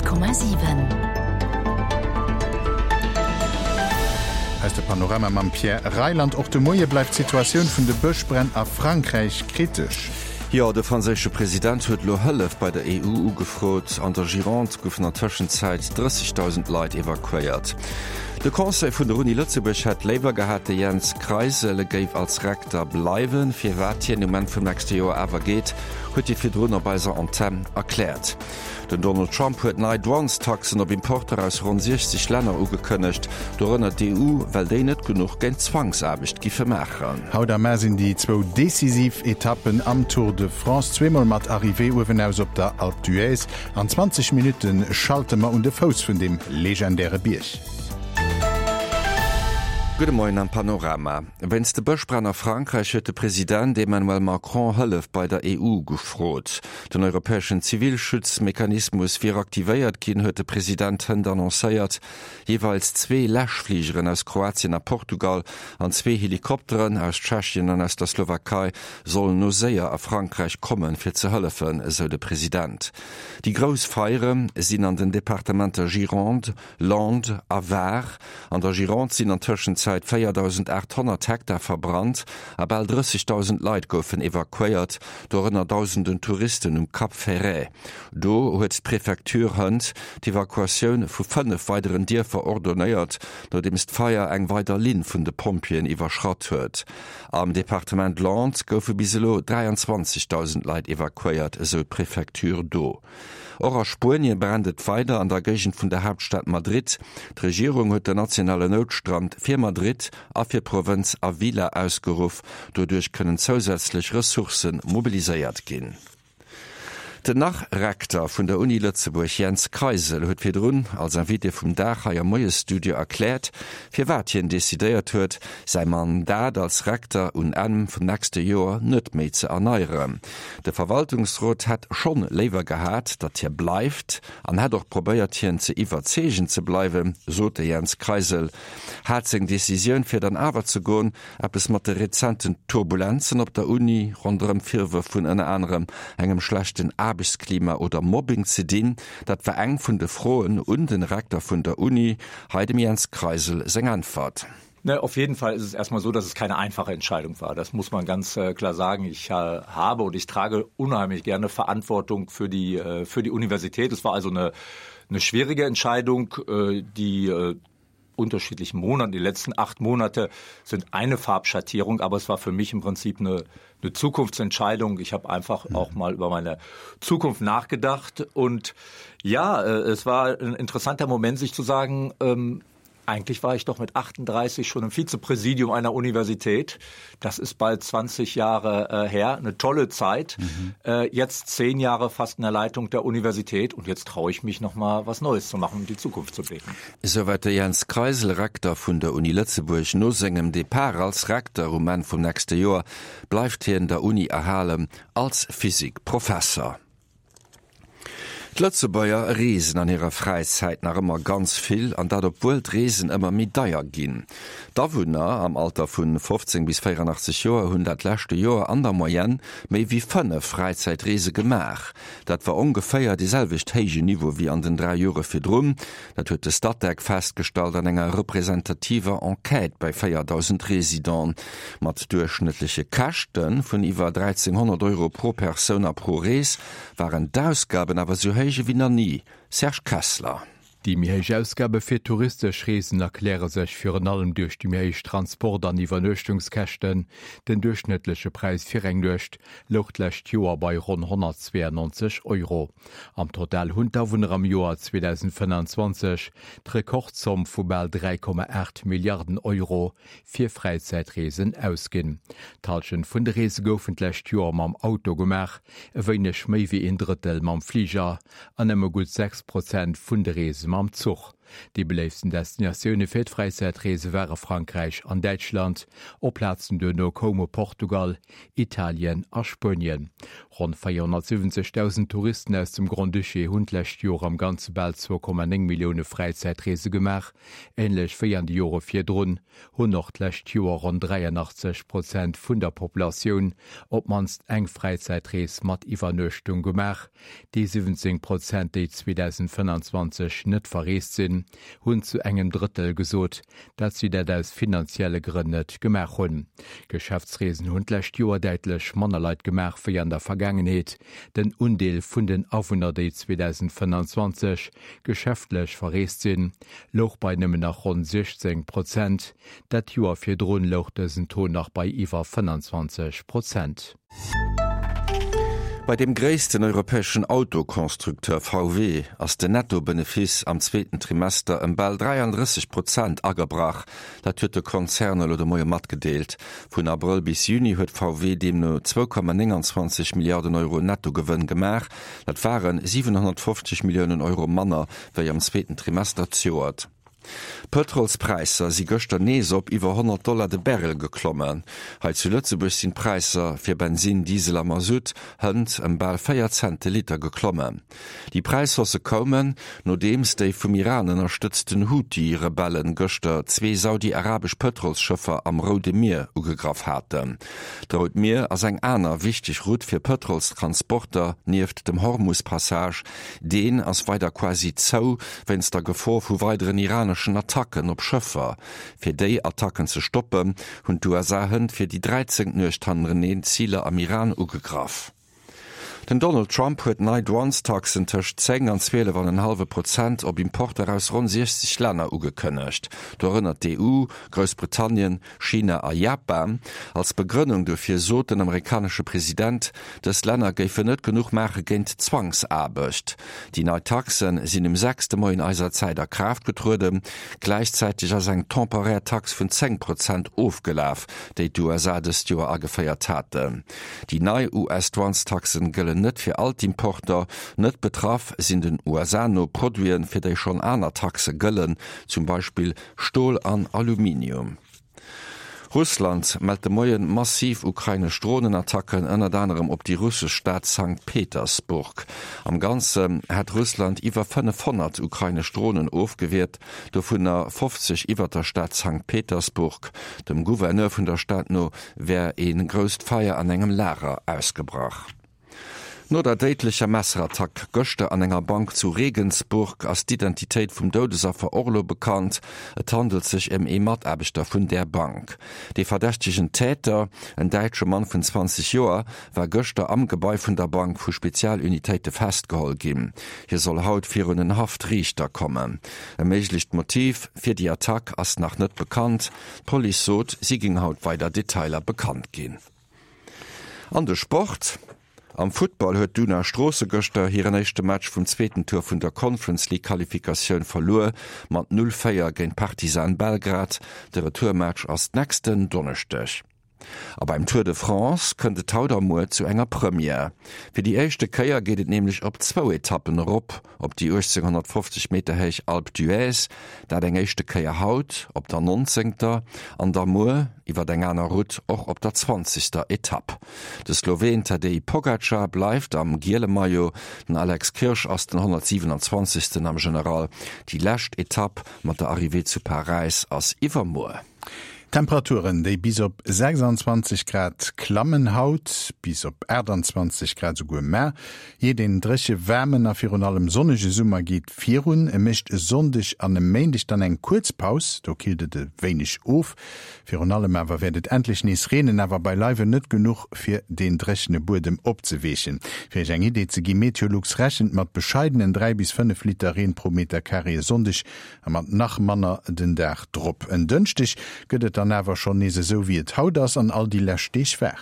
100,7. Aus de Panorama mam Pierre Reyland. Och de Moie bleift d'Situatioun vun de Bëschbränn a Frankräich kritesch. Jo, de franséische President huet elo Hëllef bei der EU ugefrot. An der Gironde goufen an Tëschenzäit 30.000 Leit evakuéiert. De Conseil vun der Uni Lëtzebuerg hätt léiwer gehat, de Jens Kreisel géif als Rekter bleiwen. Firwat hien um Enn vum nächste Joer awer geet, huet hie virdrun op eiser Antenn erkläert. Den Donald Trump huet nei Douanestaxen op Importer aus ronn 60 Länner ugekënnegt, dorënner d'EU, well déi net genuch géint Zwangsaarbecht giffe maachen. Haut a mar sinn déi zwou decisiv Etappen am Tour de France, zweemol mat Arrivée uewenaus op der Alpe d'Huez. An 20 Minutte schalte mer un de Fouss vun deem legendäre Bierg. Gudde Moien am Panorama. Wéinst de Bëschbränn a Frankräich huet de President Emmanuel Macron Hëllef bei der EU gefrot. Den europäeschen Zivilschutzmechanismus wier aktivéiert ginn, huet de President hënt annoncéiert. Jeeweils zwee Läschfligeren aus Kroatien a Portugal an zwee Helikopteren aus Tschechien an aus der Slowakei sollen no séier a Frankräich kommen, fir ze hëllefen, esou de President. Déi grouss Feiere sinn an den Departementer Gironde, Landes a Var. An der Gironde sinn an Tëschenzäit 4.800 Hektar verbrannt a bal 30.000 Leit goufen evakuéiert, dorënner dausenden Touristen um Cap Ferret. Do huet d'Prefecture hënt d'Evakuatioun vu 5 weideren Dierfer ordonéiert, nodeems d'Feier eng weider Linn vun de Pompjeeën iwwerschratt huet. Am Departement Landes goufe bis elo 23.000 Leit evakuéiert, esou d'Prefecture do. Och a Spuenie brennt et weider an der Géigend vun der Haaptstad Madrid. D'Regierung huet den nationale Noutstand fir Madrid a fir d'Provënz Avila ausgeruff. Doduerch kënnen zousätzlech Ressourcë mobiliséiert ginn. Den Nach-Rekter vun der Uni Lëtzebuerg Jens Kreisel huet virdrun als Invité vum Dag hei am Moiesstudio erkläert, firwat hien decidéiert huet, säi Mandat als Rekter un Enn vum nächste Joer net méi ze erneieren. De Verwaltungsrot hätt schonn léiwer gehat, datt hie bleift an hätt och probéiert hien ze iwwerzeegen ze bleiwen, sot de Jens Kreisel. Hat seng Decisioun fir dann awer ze goen eppes mat de rezenten Turbulenzen op der Uni ronderëm Virwërf vun ënner anerem engem schlechten Aarbechtsklima oder Mobbing ze dinn? Dat war eng vun de Froen un den Rekter vun der Uni. Hei dem Jens Kreisel seng Äntwert. Ne, auf jeden Fall ist es erstmal so, dass es keine einfache Entscheidung war. Das muss man ganz äh, klar sagen. Ich äh, habe und ich trage unheimlich gerne Verantwortung für die, äh, für die Universität. Es war also eine, eine schwierige Entscheidung, äh, die äh, unterschiedlichen Monaten. Die letzten acht Monate sind eine Farbschattierung, aber es war für mich im Prinzip eine, eine Zukunftsentscheidung. Ich habe einfach mhm. auch mal über meine Zukunft nachgedacht und ja, äh, es war ein interessanter Moment, sich zu sagen, ähm, Eigentlich war ich doch mit 38 schon im Vizepräsidium einer Universität. Das ist bald 20 Jahre äh, her, eine tolle Zeit. Mhm. Äh, jetzt zehn Jahre fast in der Leitung der Universität und jetzt traue ich mich noch mal was Neues zu machen und die Zukunft zu blicken. Souwäit de Jens Kreisel, Rekter vun der Uni Lëtzebuerg. No sengem Depart als Rekter um Enn vum nächste Joer bleift hien der Uni erhalen als Physikprofesser. D'Lëtzebuerger reesen an hirer Fräizäit nach ëmmer ganz vill, an dat obwuel d'Reesen ëmmer méi deier ginn. D'Awunner am Alter vu 15 bis 84 Joer hunn dat leschte Joer an der Moyenne méi wéi 5 Fräizäitreese gemaach. Dat war ongeféier dee selwecht héije Niveau wéi an den 3 Jore virdrun. Dat huet de Statec festgestallt an enger representativer Enquête bei 4.000 Residenten. Mat duerchschnëttleche Käschte vun iwwer 1.300 Euro pro Persoun a pro Rees waren d'Ausgaben awer sou héich ewéi nach ni. Serge Kessler. Déi méi héich Ausgabe fir touristesch Reesen erkläre sech virun allem duerch déi méi héich Transport an Iwwernuechtungskäschten. Den duerchschnëttleche Präis fir eng Nuecht louch d'lescht Joer bei ronn 192 Euro. Am Total hunn d'Awunner am Joer 2025 d'Rekordzomm vu bal 3,8 Milliarden Euro fir Fräizäitreesen ausginn. D'Hallschent vun de Reese goufen d'lescht Joer mam Auto gemaach, e wéineg méi wéi een Drëttel mam Fliger an nëmme gutt 6 Prozent vun de Reese mam Zuch. Déi beléiftsten Destinatioune fir d'Fräizäitreese ware Frankräich an Däitschland. Op Plazen duerno koume Portugal, Italien a Spuenien. Ronn 470.000 Touristen aus dem Grand-Duché hunn d'lescht Joer am Ganze bal 2,9 Millioune Fräizäitreese gemaach. Änlech wéi an de Jore virdrun hunn och d'lescht Joer ronn 83 Prozent vun der Populatioun op d'mannst eng Fräizäitrees mat Iwwernuechtung gemaach. Déi 17 Prozent, déi 2025 net verreest sinn, hunn zu engem Drëttel gesot, dat si dat aus finanzielle Grënn net gemaach hunn. Geschäftsreesen hunn d'lescht Joer däitlech manner Leit gemaach wéi an der Vergaangenheet. Den Undeel vun den Awunner, déi 2025 geschäftlech verreest sinn, louch bei nëmmen nach ronn 16 Prozent. Dat Joer virdrun louch dësen Taux nach bei iwwer 25 Prozent. Bei deem gréissten europäeschen Autoconstructeur VW ass den Nettobenefice am zweeten Trimester ëm bal 33 Prozent agebrach. Dat huet de Konzern elo de Moie matgedeelt. Vun Abrëll bis Juni huet VW deemno 2,29 Milliarden Euro Nettogewënn gemaach. Dat ware 750 Milliounen Euro manner wéi am zweeten Trimester zejoert. D'Pëtrolspräisser si gëschter nees op iwwer 100 Dollar de Barrel geklommen. Hei zu Lëtzebuerg sinn d'Präisser fir Bensin, Diesel a Masutt hënt ëm bal 4 Cent de Liter geklommen. Déi Präishaussë koumen, nodeems déi vum Iran ënnerstëtzten Huthi-Rebellen gëschter zwee saudi-arabesch Pëtrolsschëffer am Roude Mier ugegraff haten. D'Rout Mier ass eng aner wichteg Route fir Pëtrolstransporter nieft dem Hormus-Passage. Deen ass weider quasi zou, wéinst der Gefor vu weideren iraneschen Attacken op Schëffer. Fir déi Attacken ze stoppen, hunn d'USA hënt fir déi dräizéngt Nuecht hannereneen Ziler am Iran ugegraff. Den Donald Trump huet nei Douanestaxen tëscht 10 an 12 an en hallwe Prozent op Importer aus ronn 60 Länner ugekënnegt, dorënner d'EU, Groussbritannien, China a Japan. Als Begrënnung dofir sot den amerikanesche President, dës Länner géifen net genuch maache géint d'Zwangsaarbecht. Déi nei Taxe sinn um 6 de Moien eiser Zäit a Kraaft getrueden. Gläichzäiteg ass eng temporär Tax vun 10 Prozent ofgelaf, déi d'USA dëst Joer ageféiert haten. Déi nei US-Douanestaxen gëllen net fir all d'Importer. Net betraff sinn den USA no Produiten, fir déi schonn aner Taxe gëllen, zum Beispill Stol an Aluminium. Russland mellt de Moien massiv ukrainesch Dronenattacken, ënnert anerem op déi russesch Stad Sankt Petersburg. Am Ganze hätt Russland iwwer 500 ukrainesch Dronen ofgewiert, dovunner 50 iwwer der Stad Sankt Petersburg. Dem Gouverneur vun der Stad no wär ee grousst Feier an engem Lager ausgebrach. No der déidlecher Messerattack gëschter an enger Bank zu Regensburg ass d'Identitéit vum Doudesaffer och elo bekannt. Et handelt sech ëm ee Mataarbechter vun där Bank. Dee verdächtegen Täter, en däitsche Mann vun 20 Joer, war gëschter am Gebai vun der Bank vu Spezialunitéite festgeholl ginn. Hie soll haut virun en Haftriichter kommen. E méiglecht Motiv fir déi Attack ass nach net bekannt. D'Police sot, si géing haut weider Detailer bekannt ginn. An de Sport, Am Futtball huet d'Una Stroosse gëschter hiren éischte Match vum zweeten Tour vun der Conference League Qualifikatioun verluer mat 0, 4 géint Partizan Belgrad. De Retourmatch ass d'nächsten Donneschdeg. A beim Tour de France kënnt et haut a muer zu enger Première. Fir déi éischte Kéier geet et nämlech op zwou Etappen erop op déi 1850 Meter héich Alpe d'Huez. Dat eng éischte Kéier haut op der nonzéngter an da muer iwwer eng aner Route och op der zwanzegster Etapp. De Sloween Tadej Pogacar bleift am giele Maillot, den Alex Kirsch ass den 127. am General. Déi lescht Etapp mat der Arrivée zu Paräis ass iwwermuer. Temperaturen, déi bis op 26 Grad klammen haut, bis op 28 Grad esouguer mar. Jee, deen dréche, waarmen a virun allem sonnege Summer geet virun. E mécht e Sonndeg an e Méindeg dann eng kuerz Paus, do killt et e wéineg of. Virun allem awer wäert et endlech nees reenen, awer beileiwen net genuch, fir deen dréchene Buedem opzeweechen. Fir Iech eng Idee ze ginn, Meteolux rechent mat bescheidenen 3 bis 5 Liter Reen pro Metercarré e Sonndeg a mat nach manner den Dag drop. En Dënschdeg gëtt et dann awer schonn nees esou wéi et haut ass an all déi lescht Deeg war.